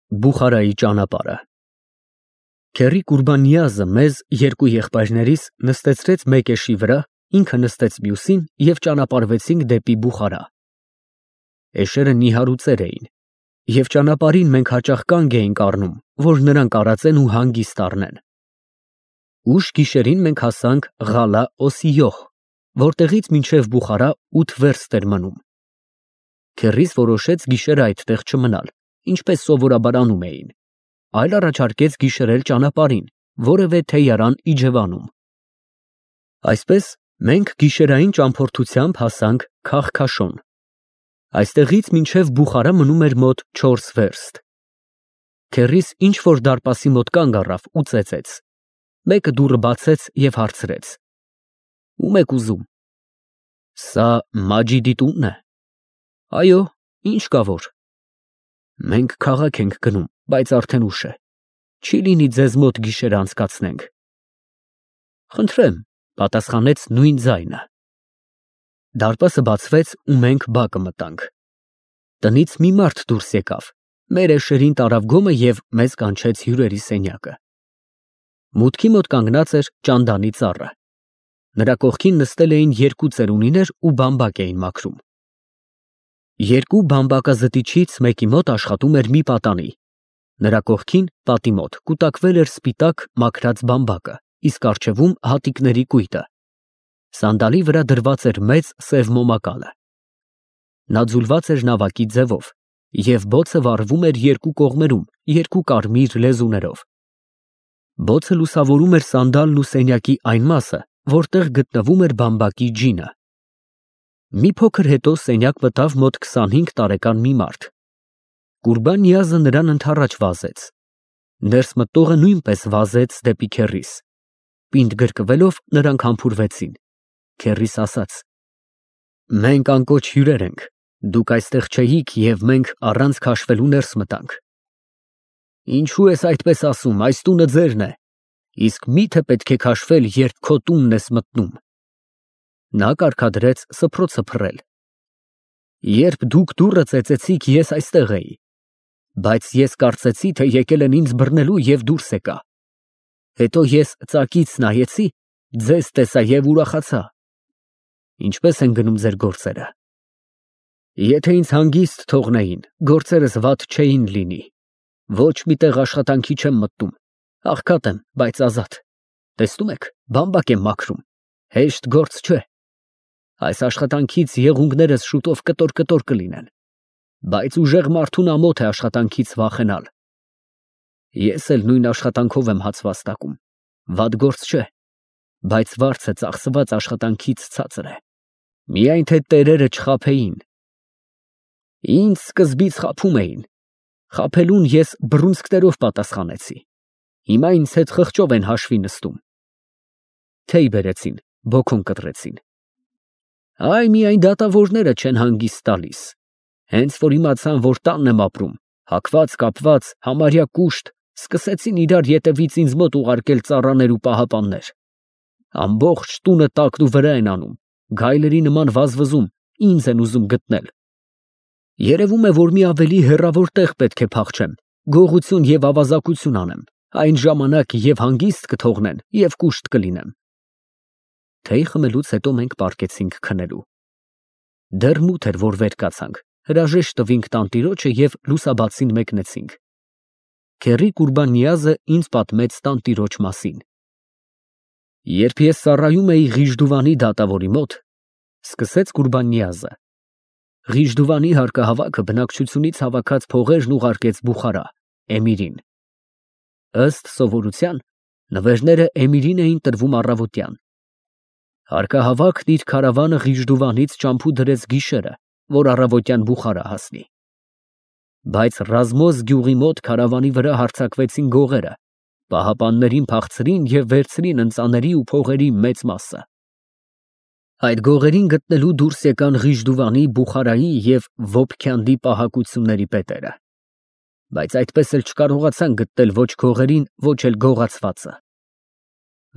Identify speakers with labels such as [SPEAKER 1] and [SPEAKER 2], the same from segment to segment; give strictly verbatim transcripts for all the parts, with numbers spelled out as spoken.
[SPEAKER 1] Բուխարայի ճանապարհը Քեռի Կուրբանիազը մեզ երկու եղբայրներիս նստեցրեց մեկ էշի վրա, ինքը նստեց մյուսին և ճանապարհվեցինք դեպի Բուխարա։ Էշերը նիհար ու ծեր էին, և ճանապարհին մենք հաճախ կանգ էինք առնում, որ նրանք արածեն ու հանգիստ առնեն։ Ուշ գիշերին մենք հասանք Ղալա Օսիյոհ, որտեղից մինչև Բուխարա ութ վերստ էր մնում։ Քեռիս որոշեց գիշերը այդտեղ չմնալ, ինչպես սովորաբար անում էին, այլ առաջարկեց գիշերել ճանապարհին, որևէ թեյարան Իջևանում։ Այսպես մենք գիշերային ճամփորդությամբ հասանք Քախքաշոն։ Այստեղից մինչև Բուխարա մնում էր մոտ չորս վերստ։ Քեռիս ինչ֊որ դարպասի մոտ կանգ առավ ու ծեծեց։ Մեկը դուռը բացեց և հարցրեց. Ո՞ւմ եք ուզում։ Սա Մաջիդի տունն է։ Այո, ինչ կա որ։ Մենք քաղաք ենք գնում, բայց արդեն ուշ է, չի լինի ձեզ մոտ գիշերը անցկացնենք։ Խնդրեմ, պատասխանեց նույն ձայնը։ Դարպասը բացվեց ու մենք բակը մտանք։ Տնից մի մարդ դուրս եկավ, մեր էշերին տարավ գոմը և մեզ կանչեց հյուրերի սենյակը։ Մուտքի մոտ կանգնած էր ճանդանի ծառը։ Նրա կողքին նստել էին երկու ծերունիներ ու բամբակ էին մաքրում։ Երկու բամբակազտիչից մեկի մոտ աշխատում էր մի պատանի։ Նրա կողքին, պատի մոտ, կուտակվել էր սպիտակ մաքրած բամբակը, իսկ առջևում հատիկների կույտը։ Սանդալի վրա դրված էր մեծ սև մոմակալը։ Նա ձուլված էր նավակի ձևով, և բոցը վառվում էր երկու կողմերում, երկու կարմիր լեզուներով։ Բոցը լուսավորում էր սանդալն ու սենյակի այն մասը, որտեղ գտնվում էր բամբակի ջինը։ Մի փոքր հետո սենյակ մտավ մոտ քսանհինգ տարեկան մի մարդ։ Կուրբանիազը նրան ընդառաջ վազեց։ Ներս մտնողը նույնպես վազեց դեպի քեռիս։ Պինդ գրկվելով նրանք համբուրվեցին։ Քեռիս ասաց. Մենք անկոչ հյուրեր ենք, դուք այստեղ չէիք և մենք առանց քաշվելու ներս մտանք։ Ինչու ես այդպես ասում, այս տունը ձերն է, իսկ մի՞թե պետք է քաշվել, երբ քո տունն ես մտնում։ Նա կարգադրեց սփռոցը փռել։ Երբ դուք դուռը ծեծեցիք, ես այստեղ էի, բայց ես կարծեցի, թե եկել են ինձ բռնելու և դուրս եկա։ Հետո ես ծակից նայեցի, ձեզ տեսա և ուրախացա։ Ինչպե՞ս են գնում ձեր գործերը։ Եթե ինձ հանգիստ թողնեին, գործերս վատ չէին լինի։ Ոչ մի տեղ աշխատանքի չեմ մտնում, աղքատ եմ, բայց ազատ։ Տեսնում եք, բամբակ եմ մաքրում, հեշտ գործ չէ։ Այս աշխատանքից եղունգներս շուտով կտոր-կտոր կլինեն, բայց ուժեղ մարդուն ամոթ է աշխատանքից վախենալ։ Ես էլ նույն աշխատանքով եմ հաց վաստակում, վատ գործ չէ, բայց վարձը ծախսված աշխատանքից ցածր է։ Միայն թե տերերը չխաբեին։ Ինձ սկզբից խաբում էին։ Խաբելուն ես բռունցքներով պատասխանեցի։ Հիմա ինձ հետ խղճով են հաշվի նստում։ Թեյ բերեցին, բոքուն կտրեցին։ Այ միայն դատավորները չեն հանգիստ տալիս։ Հենց որ իմացան, որ տանն եմ ապրում, հագված, կապված, համարյա կուշտ, սկսեցին իրար ետևից ինձ մոտ ուղարկել ծառաներ ու պահապաններ։ Ամբողջ տունը տակն ու վրա են անում, գայլերի նման վազվզում, ինձ են ուզում գտնել։ Երևում է, որ մի ավելի հեռավոր տեղ պետք է փախչեմ, գողություն և ավազակություն անեմ, այն ժամանակ և հանգիստ կթողնեն, և կուշտ կլինեմ։ Թեյ խմելուց հետո մենք պառկեցինք քնելու։ Դեռ մութ էր, որ վեր կացանք, հրաժեշտ տվինք տանտիրոջը և լուսաբացին մեկնեցինք։ Քեռի Կուրբանիազը ինձ պատմեց տանտիրոջ մասին։ Երբ ես ծառայում էի Ղիժդուվանի դատավորի մոտ, սկսեց Կուրբանիազը, Ղիժդուվանի հարկահավաքը բնակչությունից հավաքած փողերն ուղարկեց Բուխարա, էմիրին։ Ըստ սովորության, նվերները էմիրին էին տրվում առավոտյան։ Հարկահավաքն իր քարավանը Ղիժդուվանից ճամփու դրեց գիշերը, որ առավոտյան Բուխարա հասնի։ Բայց Ռազմոզ գյուղի մոտ քարավանի վրա հարձակվեցին գողերը, պահապաններին փախցրին և վերցրին ընծաների ու փողերի մեծ մասը։ Այդ գողերին գտնելու դուրս եկան Ղիժդուվանի, Բուխարայի և Վոփքյանդի պահակությունների պետերը։ Բայց այդպես էլ չկարողացան գտնել ոչ գողերին, ոչ էլ գողացվածը։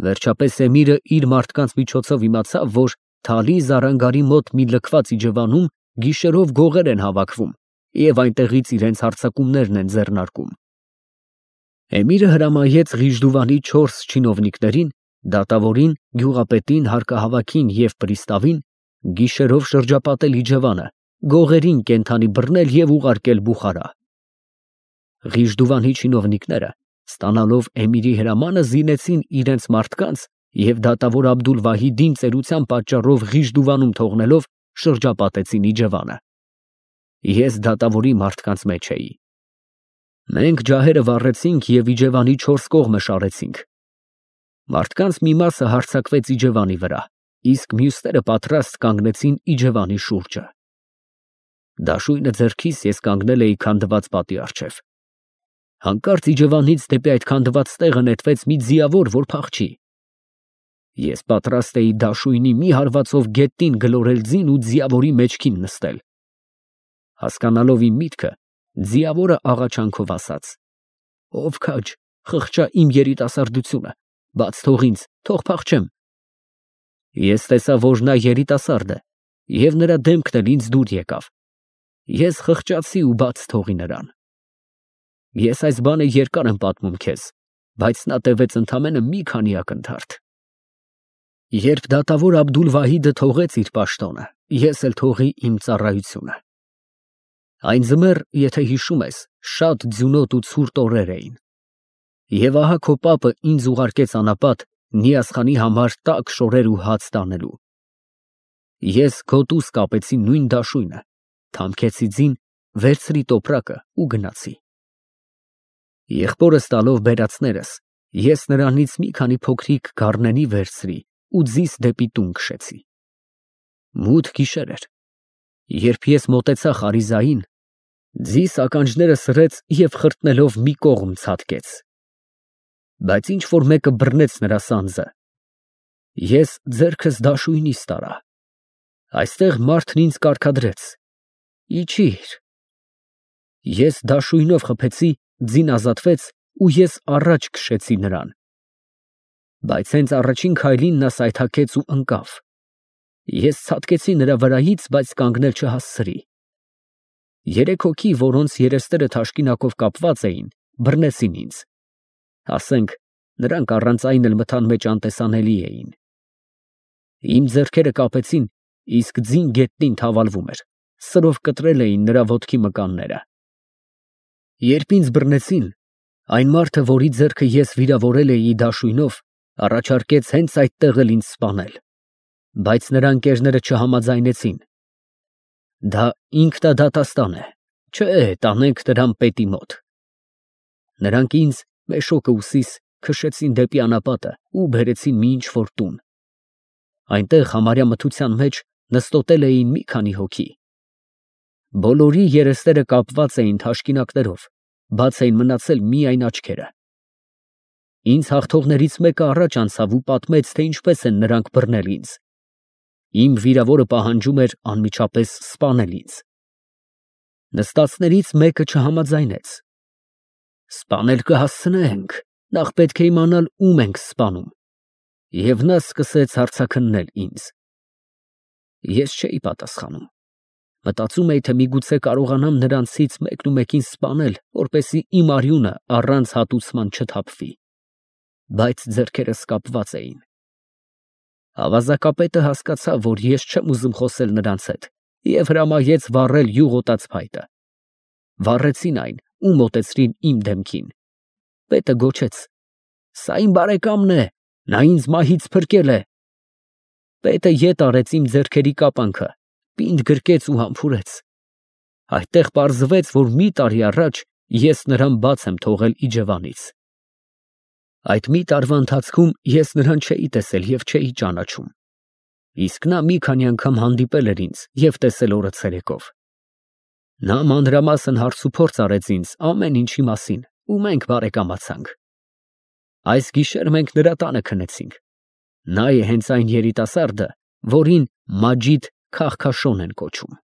[SPEAKER 1] Վերջապես էմիրը իր մարդկանց միջոցով իմացավ, որ Թալի Զարանգարի մոտ մի լքված իջևանում գիշերով գողեր են հավաքվում և այնտեղից իրենց հարձակումներն են ձեռնարկում։ Էմիրը հրամայեց Ղիժդուվանի չորս չինովնիկներին, դատավորին, գյուղապետին, հարկահավաքին և պրիստավին գիշերով շրջապատել Իջևանը, գողերին կենդանի բռնել և ուղարկել Բուխարա։ Ղիժդուվանի չինովնիկները, ստանալով էմիրի հրամանը, զինեցին իրենց մարդկանց և դատավոր Աբդուլ֊Վահիդին ծերության պատճառով Ղիժդուվանում թողնելով, շրջապատեցին Իջևանը։ Ես դատավորի մարդկանց մեջ էի։ Մենք ջահերը վառեցինք և Իջևանի չորս կողմը շարեցինք։ Մարդկանց մի մասը հարձակվեց Իջևանի վրա, իսկ մյուսները պատրաստ կանգնեցին Իջևանի շուրջը։ Դաշույնը ձեռքիս ես կանգնել էի քանդված պատի առջև։ Հանկարծ Իջևանից դեպի այդ քանդված տեղը նետվեց մի ձիավոր, որ փախչի։ Ես պատրաստ էի դաշույնի մի հարվածով գետնին գլորել ձին ու ձիավորի մեջքին նստել։ Հասկանալով իմ միտքը, ձիավորը աղաչանքով ասաց. «Ով քաջ, խղճա իմ երիտասարդությունը, բաց թող ինձ, թող փախչեմ»։ Ես տեսա, որ նա երիտասարդ է, և նրա դեմքն էլ ինձ դուր եկավ։ Ես խղճացի ու բաց թողի նրան։ Ես այս բանը երկար եմ պատմում քեզ, բայց նա տևեց ընդամենը մի քանի ակնթարթ։ Երբ դատավոր Աբդուլ֊Վահիդը թողեց իր պաշտոնը, ես էլ թողի իմ ծառայությունը։ Այն ձմեռ, եթե հիշում ես, շատ ձյունոտ ու ցուրտ օրեր էին։ Եվ ահա քո պապը ինձ ուղարկեց անապատ Նիազխանի համար տաք շորեր ու հաց տանելու։ Ես գոտուս կապեցի նույն դաշույնը, թամքեցի ձին, վերցրի տոպրակը ու գնացի։ Եղբորս տալով բերածներս, ես նրանից մի քանի փոքրիկ գառնենի վերցրի ու ձիս դեպի տուն քշեցի։ Մութ գիշեր էր։ Երբ ես մոտեցա Խարիզային, ձիս ականջները սրեց և խրտնելով մի կողմ ցատկեց։ Բայց ինչ որ մեկը բռնեց նրա սանձը։ Ես ձեռքս դաշույնիս տարա։ Այստեղ մարդն ինձ կարգադրեց. «Իջիր»։ Ես դաշույնով խփեցի, ձին ազատվեց ու ես առաջ քշեցի նրան։ Բայց հենց առաջին քայլին նա սայթաքեց ու ընկավ։ Ես ցատկեցի նրա վրայից, բայց կանգնել չհասցրի։ Երեք հոգի, որոնց երեսները թաշկինակով կապված էին, բռնեցին ինձ։ Ասենք, նրանք առանց այն էլ մթան մեջ անտեսանելի էին։ Իմ ձեռքերը կապեցին, իսկ ձին գետնին թավալվում էր, սրով կտրել էին նրա ոտքի մկանները։ Երբ ինձ բռնեցին, այն մարդը, որի ձեռքը ես վիրավորել էի դաշույնով, առաջարկեց հենց այդտեղ էլ ինձ սպանել, բայց նրա ընկերները չհամաձայնեցին։ Դա ինքնադատաստան է, չէ, տանենք նրան պետի մոտ։ Նրանք ինձ, մեշոկը ուսիս, քշեցին դեպի անապատը ու բերեցին մի ինչ-որ տուն։ Այնտեղ համարյա մթության մեջ նստոտել էին մի քանի հոգի։ Բոլորի երեսները կապված էին թաշկինակներով, բաց էին մնացել միայն աչքերը։ Ինձ հաղթողներից մեկը առաջ անցավ ու պատմեց, թե ինչպես են նրանք բռնել ինձ։ Իմ վիրավորը պահանջում էր անմիջապես սպանել ինձ։ Նստածներից մեկը չհամաձայնեց։ Սպանել կհասցնենք, նախ պետք է իմանալ ում ենք սպանում։ Եվ նա սկսեց հարցաքննել ինձ։ Ես չէի պատասխանում։ Մտածում էի, թե միգուցե կարողանամ նրանցից մեկնումեկին սպանել, որպեսզի իմ արյունը առանց հատուցման չթափվի։ Բայց ձեռքերս կապված էին։ Ավազակապետը հասկացավ, որ ես չեմ ուզում խոսել նրանց հետ, և հրամայեց վառել յուղոտած փայտը։ Վառեցին այն ու մոտեցրին իմ դեմքին։ Պետը գոչեց. «Սա իմ բարեկամն է, նա ինձ մահից փրկել է»։ Պետը ետ արեց իմ ձեռքերի կապանքը, պինդ գրկեց ու համբուրեց։ Այդտեղ պարզվեց, որ մի տարի առաջ ես նրան բաց եմ թողել Իջևանից։ Այդ մի տարվա ընթացքում ես նրան չէի տեսել և չէի ճանաչում։ Իսկ նա մի քանի անգամ հանդիպել էր ինձ և տեսել օրը ցերեկով։ Նա մանրամասն հարցուփորձ արեց ինձ ամեն ինչի մասին ու մենք բարեկամացանք։ Այս գիշեր մենք նրա տանը քնեցինք։ Նա է հենց այն երիտասարդը, որին Մաջիդ Քահքաշոն են կոչում։